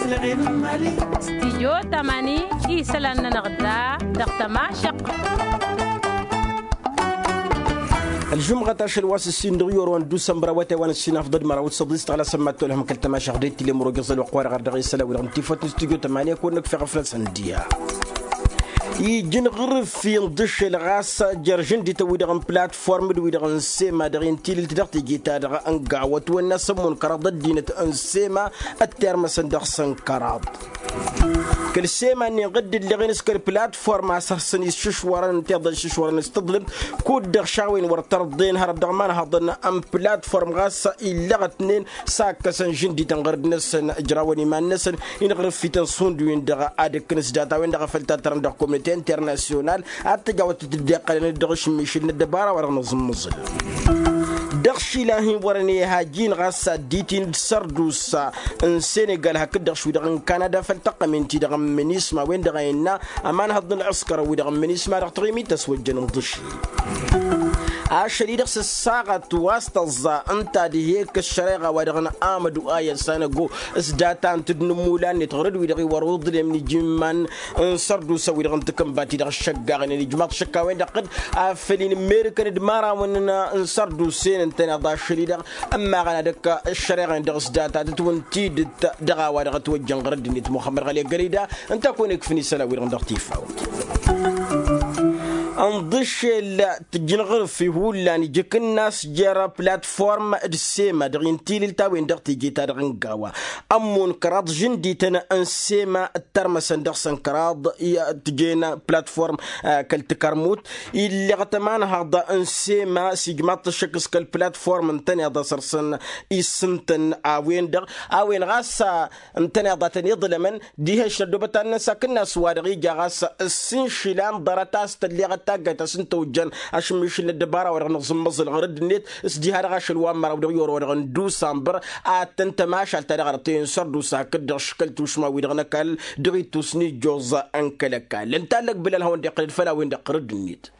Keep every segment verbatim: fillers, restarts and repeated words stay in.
Stidyo tamani isălan-nănăɣ da dăɣ-tămašăqq. Ălžumɣăt ašăl wa s-ǝssin dăɣ-iwărwan d-usănbăr awătay wa n-ǝssin afḍăd măraw d-săḍis tăɣlasăn ma t-tolhăm kăl-tămašăɣ d-etile măro găẓăl wa qwarăɣ ar dăɣ-isălan wi-dăɣ n-tifăt n-studyo tămani ad-kăwăn-năkf eɣăflăsăn d-iha. Iji n-iɣrǝf inḍǝšel ɣas jer-žǝndităn-wi-dăɣ n-platform d-wi-dăɣ n-sema dăɣ-i n-tilǝlt dăɣ-teje-ta-dăɣ n-gawa ătwănna s-ămmun kăraḍ ăddinăt n-sema ăttermăsăn dăɣ-săn kăraḍ. Kăl-sema-nin ɣǝdd-ǝlleɣen s-kăl-platform a-s hăssăn iššǝšwărăn ǝnta iḍa iššǝšwărăn s-tǝḍlǝmt kud-dăɣ šawen wăr tărḍen hărăt dăɣ-imanhăḍăn n-platform ɣas illăɣătnen s-akkăsăn žǝndităn ɣărăd-năsăn ǝjrawăn iman-năsăn. Inɣrǝf-ităn šund-win-dăɣ ad-ǝkkǝn s-data-wen-dăɣ a făl tattărăn dăɣ-komite internasyonal ad-t-ăj awătăt dd-iqqălăn d-dăɣ-ašǝmmišǝl n-ăddăbara wa dăɣ-nǝẓǝmmǝẓǝl. Dăɣ-išilan hin-wărăn i-hajin ɣas ad-dd-itin d-sărdusa n-senegal hakd-dăɣ š-wi-dăɣ n-kanada făll-taqqămin-ti-dăɣ n-minisma a-wen-dăɣ a innă ămanhăḍ n-ălɣǝskăr wi-dăɣ n-minisma dăɣ-taɣimit a-s wăjjăn ǝnḍǝšel. Ašăl-i-dăɣ s-ăssaɣăt wa s-tăẓẓa ǝnta ad-ihi-ekk ăššăreɣa wa dăɣ-năamădu ayăssan ăggo s-data n-tǝdnǝmula-net ɣur-dd wi-dăɣ iwărwǝḍlem n-iji n-iman n-sărdusa wi-dăɣ n-takǝnba-ti-dăɣ ăššăggaɣnen ijmaḍ šăkk a-wen-dăɣ ɣǝd afăl inǝmmerǝkăn d-imărawăn n-sărdusen ǝntăneḍ ašăl-i-dăɣ ămmaɣăn ad-ăkk ăššăreɣa-en-dăɣ s-data tătwǝntidǝt dăɣ-a-wa dăɣ-ătwăjjăn ɣur-dd-net muxămmăd ɣăli ăgg-ălida. Ǝnta a kăwăn-ikfǝn isălan-wi-dăɣ dăɣ-tifawt. Ǝnḍǝšel tǝjjǝn ɣǝrǝf-i hullan ija akǝnnas jer-platform d-sema dăɣ-i n-tilǝlt a-wen-dăɣ teje-ta-dăɣ n-gawa ămmun kăraḍ žǝndităn n-sema ǝttărmăsăn dăɣ-săn kăraḍ. Tǝjen platform kăl-takărmut illeɣ tămanhaḍ n-sema s-ijmaḍ-t ăššăk s-kăl-platform ǝntăneḍ a săr-săn issǝntăn a-wen-dăɣ a-wen ɣas ǝntăneḍ a tăn-iḍlămăn diha išrăd obătan-năsakǝnna s-wa-dăɣ ija ɣas ǝssin išilan ḍarăt a-s tălleɣăt taggayt a-s ǝnta ojjăn ašǝmmišǝl n-ăddăbara-wa-dăɣ n-aẓǝmmăẓǝl ɣur-dd-net s-diha-dăɣ ašăl wa n-măraw dăɣ-i orăwădăɣ n-dusambăr ad-tăn-tămašal ta dăɣ-arăt i-n sărdusa hakd-dăɣ škăl tušma-wi-dăɣ n-ăkall dăɣ-ittus n-ijjoẓ n-kăl-ăkall ǝnta allăg bǝlal hawăn-dd-iqqălăd făll-a-wen-dăɣ ɣur-dd-net.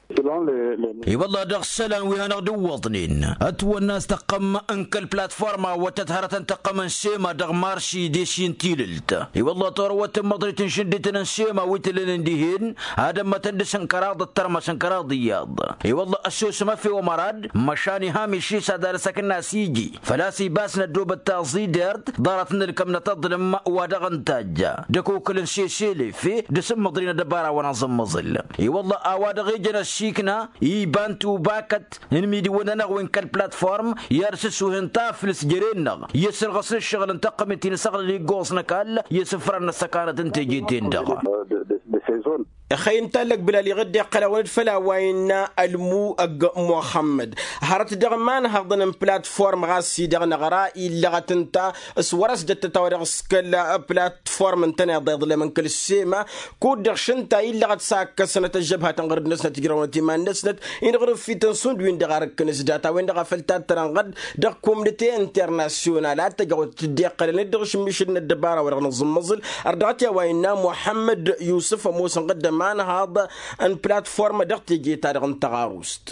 I-wălla dăɣ-isălan wi hanăɣ-dd-iwwăḍnen ătwănna a-s tăqqăm n-kăl-platforma wa tăt-hărătăn tăqqăm n-sema dăɣ-marši d-esi n-tilǝlt. I-wălla torăwăt n-măḍrit n-išǝndităn n-sema wi t-ǝllănen dihen ad-ămmătăn dăɣ-săn kăraḍ ăttărmăsăn kăraḍ iyyăḍ. I-wălla ăssosăm efew ămărad măšan iham išis ad-ad-ăsăkna s-iji făl-a-s ibas n-ăddoobăt taẓidert ḍarăt n-ǝlkăm n-atăḍlǝm wa dăɣ-ǝntajja d-ăkokăl n-seselefe d-asǝmmăḍri n-ăddăbara wa n-aẓǝmmăẓǝl. I-wălla a-wa dăɣ-ejăn ăssiikna iba n-tubakăt n-imidiwăn-nănăɣ wi n-kăl-platform i-ad-sǝssuhen taflǝst jere-năɣ i-ăssărɣăsăn ǝššăɣǝl n-taqqămit-in s-aɣlăl iggoẓ n-ăkall i-asǝfran n-ăssăkanăt n-teje-ten-dăɣ. Ăxăy ǝnta allăg bǝlal iɣǝdde ăqqăl-awăn-dd făll-a-wa innă ălmu ăgg muxămmăd hărăt dăɣ-imanhăḍăn n-platform ɣas-i-dăɣ năɣra illăɣăt ǝnta s-wăr-ăsdăttăt a-wa dăɣ-s kăl-platform ǝntăneḍ iḍlem n-kăl-sema kud-dăɣ šǝnta illăɣăt s-akkăsnăt ăžžăbhatăn ɣur-dd-năsnăt ǝjrăwnăt iman-năsnăt. Inɣrǝf-ităn šund-win-dăɣ ar ǝkkǝn s-data-wen-dăɣ a făl tattărăn ɣădd dăɣ-komnite internasyonal ad-t-ăj awăt tǝddeqqălăn-dd dăɣ-ašǝmmišǝl n-ăddăbara wa dăɣ-nǝẓǝmmăẓǝl. Ărdăɣăt i-a-wa innă muxămmăd yusǝf ămoosăn ɣǝdd ămanhaḍ n-platform dăɣ-teje-ta-dăɣ n-taɣarust.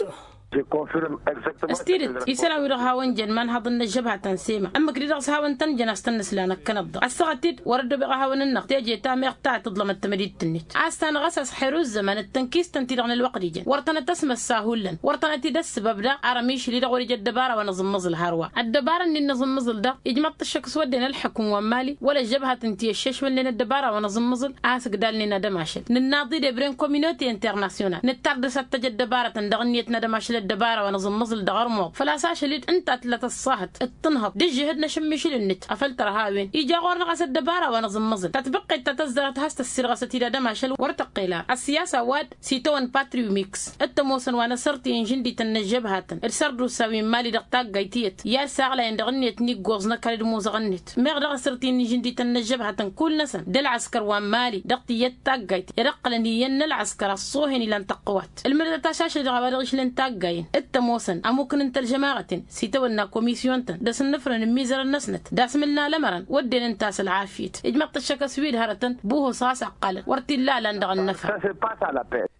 S-tidǝt isălan-wi-dăɣ hawăn-jăn imanhaḍăn n-ăžžăbhatăn sema ǝmmǝk-di-dăɣ s-hawăn-tăn-jăn a-s tăn-nǝsla năkkănăt-dăɣ ăssaɣăt-dd wăr-ăddoobeɣ a hawăn-ǝnneɣ teje ta meɣ ta tǝḍlămăt tamădit-net a-s tanăɣ-as ăsxer uzzăman d-tănkistăn-ti-dăɣ n-ălwăqq d-ijăn wăr tănăt-ăsmăssa hullan wăr tănăt-dd-ăssăbăb daɣ. Arămišli-dăɣ wăr-ija ăddăbara wa n-aẓǝmmăẓǝl hărwa ăddăbara-nin n-aẓǝmmăẓǝl daɣ ijmăḍ-t ăššăk s-wădden ălḥukǝm wa n-mali wăla ăžžăbhatăn ti ăššešmălnen ăddăbara wa n-aẓǝmmăẓǝl a-s ǝgdalnen ad-ămašăl nǝnnaḍ-dd ebre n-kominote internasyonal nǝttar dăr-s ad-t-ăj ăddăbarătăn dăɣ-ǝnniyăt n-ad-ămašăl ăddăbara wa n-aẓǝmmăẓǝl dăɣ-ărmuḍ făl-a-s ašăl dd-ǝnta a tǝlla tăṣṣahăt d-tǝnhăḍt d-ǝžžǝhǝd n-ašǝmmišǝl-net. Afăl tărha a-wen ija ɣur-dăɣ a-s ăddăbara wa n-aẓǝmmăẓǝl tatbǝqqet ta tăzzarăt has-tăssirɣăsăt-dd ad-ămašăl wăr tăqqel ara ăssiyasa wa d-sitawăn patriw miks d-tămoosăn wa n-asărtǝy n-žǝndităn n-ăžžăbhatăn d-sărdusa wi n-mali dăɣ-taggayt tiyyăt i-ad-saɣlayăn dăɣ-ǝnniyăt n-iggoẓ n-ăkall d-imuzăɣ-net meɣ dăɣ-asărtǝy n-žǝndităn n-ăžžăbhatăn kull-năsăn d-ălɣăskăr wa n-mali dăɣ-tiyyăt taggayt i-ad-ǝqqǝlăn iyyăn n-ălɣăskăr ăṣṣoohen ilan tăqqǝwat ǝlmǝdăt a-s ašăl dăɣ-a-wa dăɣ-išlăn taggayt. Dd-tămoosăn ămukǝn n-tălžămaɣăten s-itawănna komisyon-tăn d-asǝnnǝfrăn n-imizărăn-năsnăt d-asmǝl n-alămărăn wădden ǝnta a-s ălɣafyăt. Ijmăḍ-t ăššăk a-s wi d-hărătăn buhus ɣas ăqqalăn wăr t-illa alan dăɣ-ănnăfra.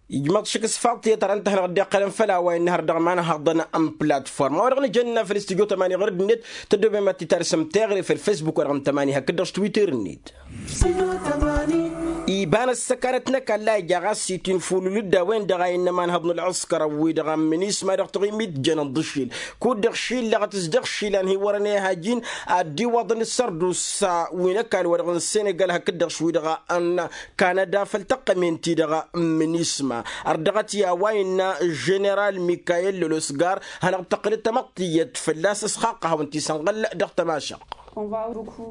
Ijmăḍ-t ăššăk s-faḍ tiyyăt har ǝnta a hanăɣ-dd-iqqălăn făll-a-wa innă har dăɣ-imanhăḍăn n-platform a-wa-dăɣ nǝjănna făll-istudyo tămani ɣur-dd-net. Tăddoobem ad-t-tarsăm teɣre făll-facebook-wa-dăɣ n-tămani hakd-dăɣ s-twitter-net. Iba n-ăssăkanăt n-ăkall a ija ɣas s-itinfulul-dd a-wen-dăɣ a innă imanhăḍ n-ălɣǝskăr wi-dăɣ n-minisma dăɣ-taɣimit jăn n-iḍǝššil kud-dăɣ šillăɣăt s-dăɣ išilan hi-wărăn i-hajin ad-dd-iwwăḍăn d-sărdusa wi n-ăkall-wa-dăɣ n-senegal hakd-dăɣ š-wi-dăɣ n-kanada făll-tăqqămen-ti-dăɣ n-minisma. Ărdăɣăt i-a-wa innă ženeral mikayel lolosgar hanăɣ-tăqqǝlăt tamăḍt tiyyăt fălla-s ăsxaqqăhăwăn tisănɣăl dăɣ-tămašăɣt.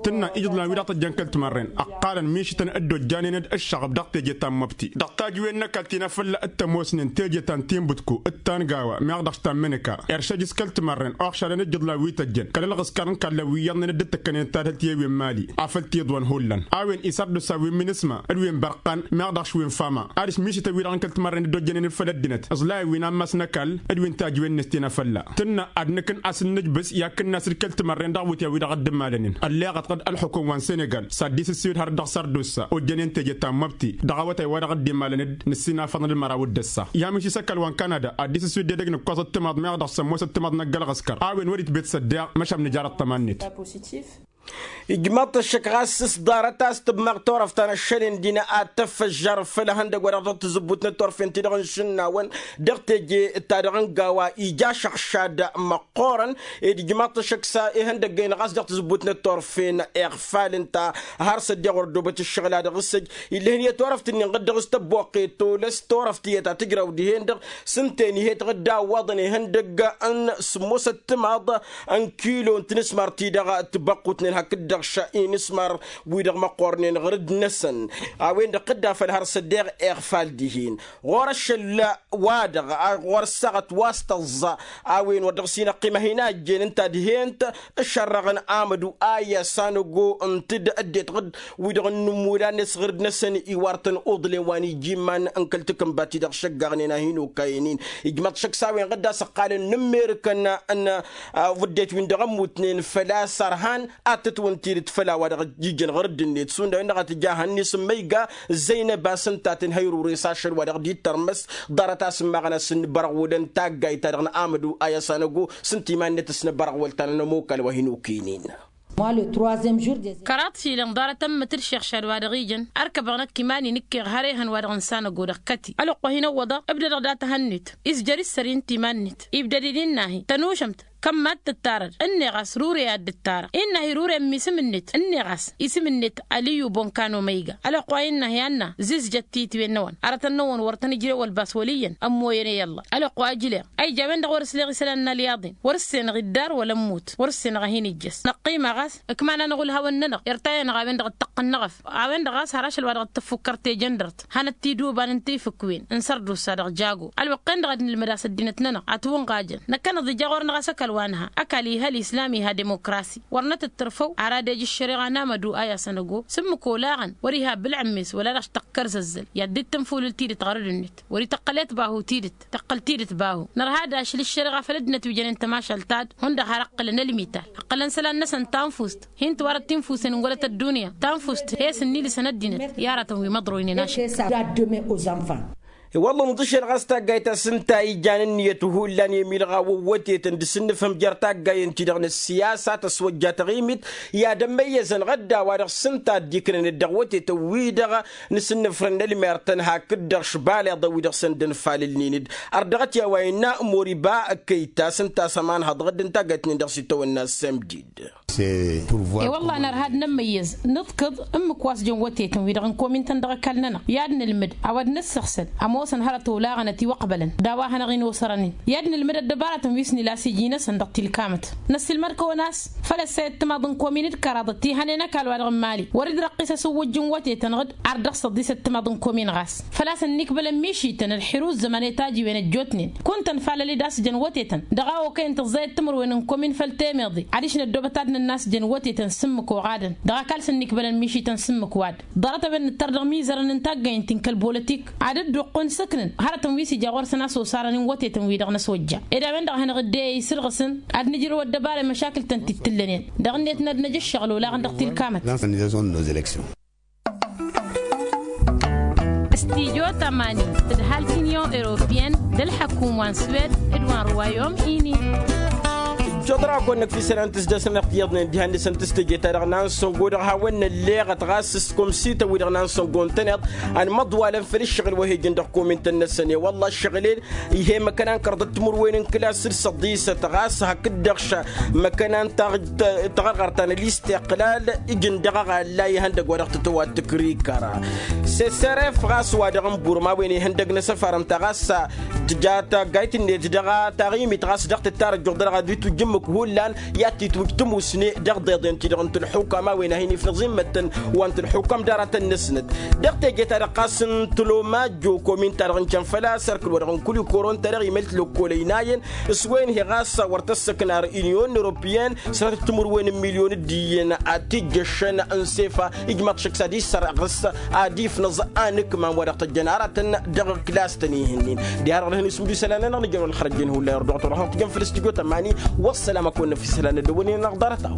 Tǝnna ijǝḍlan wi dăɣ-tăjjăn kăl-timărren ăqqalăn mišǝtăn dd-ojjanen d-ǝššăɣb dăɣ-teje ta n-măbti dăɣ-tajǝwen n-ăkall ti n-afălla d-tămoosnen teje ta n-tinbǝtku d-tangga wa meɣ dăɣ-s ta n-mǝnǝka. Eršăj s-kăl-timărren oɣšadăn ijǝḍlan wi tăjjăn kăl-ălɣǝskăr n-kallăn wi iyyăḍnen dd-tǝkkănen tadhǝlt i-ewin mali afăl tiḍwăn hullan a-wen isărdusa wi n-minisma d-wi n-bărqan meɣ dăɣ-s wi n-fama. Ad-dăɣ-s mišǝtăn wi-dăɣ n-kăl-timărren dd-ojjănen d-făll-ăddinăt ǝẓlayăn wi n-ammas n-ăkall d-wi n-tajǝwen-net ti n-afălla. Tǝnna ad-nǝkǝn a-s n-nǝjbǝs i-ad-kǝnnas d-kăl-timărren dăɣ-iwǝtyan wi dăɣ-dd-ǝmmalănen ălleɣăt ɣǝd ălxukǝm wa n-senegal s-ad-dd-isǝswǝyǝd har dăɣ-sărdusa ojjănen teje ta n-măbti dăɣ-awătay wa dăɣ-dd-imalăn-dd nǝssinafăḍăn d-imăraw d-ăssa. I-amiš isăkal wa n-kanada ad-dd-isǝswǝyǝd d-edăgg n-ǝkkoẓ ăttămaḍ meɣ dăɣ-sămmos ăttămaḍ n-ăgg-ălɣǝskăr a-wen wăr-itbet s-ăddeɣ măšan nǝjar ăṭṭăma-net. Ijmăḍ-t ăššăk ɣas s-ḍarăt a-s tǝbmăɣ turăft ta n-ăššăl-in dină ad-tăffăžžar făll-ehăndăg wa dăɣ-tǝzǝbbut n-turfen-ti-dăɣ n-išǝnnawăn dăɣ-teje ta dăɣ-n gawa ija ašăɣšad măqqoorăn. Ed ijmăḍ-t ăššăk s-ehăndăg-en ɣas dăɣ-tǝzǝbbut n-turfen iɣfal ǝnta har s-ăddiɣ wăr ăddoobăt ǝššăɣǝl a dăɣ-s ăj ill'-ehăn i-turăft-nin ɣǝd-dăɣ s-tăbboqqet tolăs turăft tiyyăt a tǝjrăw dihen-dăɣ s-ǝnta-en ihet ɣǝdda ăwwaḍăn ihăndăgg n-sǝmmosăt timaḍ n-kilo n-tinǝsmar-ti-dăɣ tibăqqutnen hakd-dăɣ š-inǝsmar wi-dăɣ măqqornen ɣǝr-dd-năsăn. A-wen-dăɣ tǝdda făll-har s-ăddeɣ iɣfal dihen ɣur-ăššăl-wa-dăɣ ɣur-ăssaɣăt wa s-tăẓẓa. A-wen wăr dăɣ-s inăqqim ad-hin-ajjen ǝnta dihen-t ǝššărrăɣăn amădu aya sanăgo ǝntǝd ăddinăt ɣǝd wi-dăɣ n-inǝmmulan-net ɣǝr-dd-năsăn iwar-tăn uḍǝlen wa n-ija iman n-kăl-takǝnba-ti-dăɣ šăggaɣnen a hin-okayăn-in. Ijmăḍ šăkk s-a-wen ɣǝdda s-ăqqalăn n-ǝmmerǝkăn n-vǝddet wi n-dăɣ-ămmutnen făl-a-s ărhan ad-tǝtwǝn tidǝt făll-a-wa-dăɣ ijjăn ɣǝr-dd-net šund a-wen-dăɣ a tǝja hănni s-ǝmmăyga zăynăb a-s ǝnta a tǝnhăy rures ašăl wa dăɣ-dd-ittărmăs. Ḍarăt a-s ǝmmaɣăn a-s ǝnnǝbărăɣwălăn taggayt-ta-dăɣ n-amădu aya s-anăgo s-ǝnta iman-net ăsnăbărăɣwăl ta n-ănămokal wa hin-okăynen. Kăraḍ šilăn ḍarăt ămmǝtǝd šeɣšad wa dăɣ-ijăn ărkăbăɣ năkk iman-i nǝkkeɣ har ehăn wa dăɣ-nǝsanăgo dăɣ-kăti ălwăqq wa hin-ăwwăḍăɣ ǝbdădăɣ dat-ehăn-net. Izjăr isăr-i ǝnta iman-net ibdăd-dd innă-hi tănušămt kămm-mad-tǝttarăd ǝnneɣ a-s rure ad-dd-ǝttarăɣ innă-hi rure ǝmmi isǝm-net ǝnneɣ a-s isǝm-net aliyu bonkano măyga ălwăqq wa innă-hi anna zizjăt tiyǝtwen-năwăn arătăn-năwăn wăr tăn-ǝjrew ălbas wăl' iyyăn ămmoyăn i-ăllah. Ălwăqq wa ǝjleɣ a ija a-wen-dăɣ wăr-ǝsleɣ isălan n-alyaḍen wăr-ǝssenăɣ iddar wăla ămmut wăr-ǝssenăɣ ad-hin-ijjăs năqqima ɣas ǝkman-anăɣ ulhawăn-nănăɣ irtay-anăɣ a-wen-dăɣ dd-tăqqǝnnăɣ ăf a-wen-dăɣ ɣas har ašăl wa dăɣ-tăffukkăr tejăndărt hanăt-tiduban n-tifǝkwen n-sărdusa dăɣ-jago. Ălwăqq-en-dăɣ ad-nǝlmǝd a-s ăddinăt-nănăɣ ătwǝnɣajăn năkkăneḍ ija ɣur-năɣ a-s ăkall wa nǝha ăkall iha ălislam iha demokrasi. Wăr nătǝttărfăw ar ad-ej ǝššăreɣa n-amădu a i-asăn ăgo s-ǝmmǝk olaɣăn wăr-iha ăbǝlɣǝmmes wăla dăɣ-s tăqqărzăzzăl i-ad-dd-tǝnfulǝl tidǝt ɣărăd-net wăr-ităqqălet bahu tidǝt tăqqăl tidǝt bahu. Nărha ad-ašǝl ǝššăreɣa făll-ăddinăt wi jănen tămašalt ta d-hundăɣ har ǝqqǝlăn ălmital ǝqqǝlăn isălan-năsăn tanfust hin-tiwarăt tinfusen n-wălăt ăddunya tanfust he-s ǝnnilǝsăn ăddinăt i-aratăn wi măḍroynen ašăl. I-wălla nǝḍǝšel ɣas taggayt ta s-ǝnta ijan ǝnniyăt hullan i-milɣawăn wătetăn d-asǝnnǝfhǝm jer-taggayen-ti-dăɣ n-ăssiyasa tăswăjja taɣimit i-ad-ămmăyyăzăn ɣădda wa dăɣ-s ǝnta a dd-iknănăt dăɣ-wătetăn-wi-dăɣ n-asǝnnǝfrăn n-ălmer-tăn hakd-dăɣ šbaleḍăn wi-dăɣ săn dd-ănfalǝlnen-dd. Ărdăɣăt i-a-wa innă moriba kăyta s-ǝnta a-s ămanhăḍ ɣǝdd n-taggayt-nin dăɣ-s itawănna s-emdid. I-wălla nărha ad-nămmăyyăz nǝḍkǝḍ ǝmmǝk wa s-jăn wătetăn wi-dăɣ n-komin-tăn dăɣ-ăkall-nănăɣ i-ad-nǝlmǝd a-wa d-năssăɣsăl ămoosăn hărăt olaɣăn ătiwăqbălăn d-a-wa hanăɣ-in-osărăn-in i-ad-nǝlmǝd ăddăbarătăn wi s-nǝla s-iji-năsăn dăɣ-tilkamăt. Năssiilmăd-kăwăn a-s făl ăssay ăttămaḍ n-komin d-kăraḍăt ti hănen ăkall wa dăɣ-n mali wăr-dd-răqqis asǝwwǝjj n-wătetăn ɣǝd ar dăɣ-săḍis ăttămaḍ n-komin ɣas făl-a-s ănnikbălăn mišităn ălxir u-ǝzzăman i-tajiwen ăjjootnen. Kunta ănfalăl-dd a-s jăn wătetăn dăɣ-a okăyăn tǝẓẓayăt timǝrwen n-komin făll-temeḍe adiš năddoobăt ad-nǝ n-a-s jăn wătetăn s-ǝmmǝk oɣadăn dăɣ-ăkall s-ǝnnikbălăn mišităn s-ǝmmǝk wa-dăn. Ḍarăt a-wen nǝttăr dăɣ-imizărăn n-taggăynt ti n-kăl-bolotik ad-dd-oqqăn s-ǝknǝn hărătăn wi s-ija ɣur-săn a-s osarăn n-wătetăn-wi-dăɣ n-ăsojja. Ed a-wen-dăɣ a hanăɣ-dd-e-e isǝrɣǝsăn ad-nǝjrǝw ăddăbara i-măšakǝl-tăn ti t-tǝllănen dăɣ-net n-ad-năj ǝššăɣǝl olaɣăn dăɣ-tilkamăt. Studyo tămani tǝdhal tinyon europiyăn d-ălḥăkum wa n-swed d-wa n-ruwayom ini. Ijjoḍ-dăɣ a kăwăn-năkf isălan tǝzdăsăn ăɣ tiyyăḍnen diha-net ǝnta s-teje-ta-dăɣ n-ansăngo dăɣ-hawăn-nălleɣăt ɣas s-komsităn-wi-dăɣ n-ansăngo ǝntăneḍ ănmăḍwalăn făll-ǝššăɣǝl wa he-ijăn dăɣ-komintăn-năsăn i-wălla ǝššăɣǝl-en ih'-e măkkăna n-kărḍăt timǝrwen n-kǝlas d-săḍisăt ɣas hakd-dăɣ š-măkkăna n-taɣ-, taɣărɣărt ta n-ălistiqlal ǝjǝn dăɣ-aɣălla ihăndăgg wa dăɣ-tătwat tǝkrikăra. Seseref ɣas wa dăɣ-n burma a-wen ihăndăgg n-asăfar ǝnta ɣas tǝja taggayt-net dăɣ-taɣimit ɣas dăɣ-tǝttar ăjjuɣ-dăɣ ad-itwǝjj ǝmmǝk hullan i-ad-titwǝjj tămusne dăɣ-deḍen-ti-dăɣ n-tǝlxukam a-wen a hin-ifnăẓ immăttăn wa n-tǝlxukam d-aratăn-năsnăt. Dăɣ-teje-ta-dăɣ ɣas n-tǝlomajjo komin-ta-dăɣ n-cănfăl a-s ărkǝl wa dăɣ-n kulikoro ǝnta-dăɣ imăl tilăkkolăy n-ayăn s-wen hi-ɣas wăr tăssăknar inyon europiyăn sănatăt timǝrwen n-milyon d-iyyăn ad-t-ijjăššăn n-sefa ijmaḍ šăkk s-ad-issărɣǝs ad-ifnăẓ anǝkmam wa dăɣ-tăjjăn aratăn dăɣ-kǝlas-tăn ih'-nin. Diha-dăɣ dăɣ-hin-isǝmdu isălan-nănăɣ nǝjăn wăla ălxărăjjen hullan irduɣ turăhăɣ tǝjăn făll-studyo tămani. Wăssalam a kăwăn-năf isălan n-ad-dăwănen ănăɣ-ḍarăt-a-wa.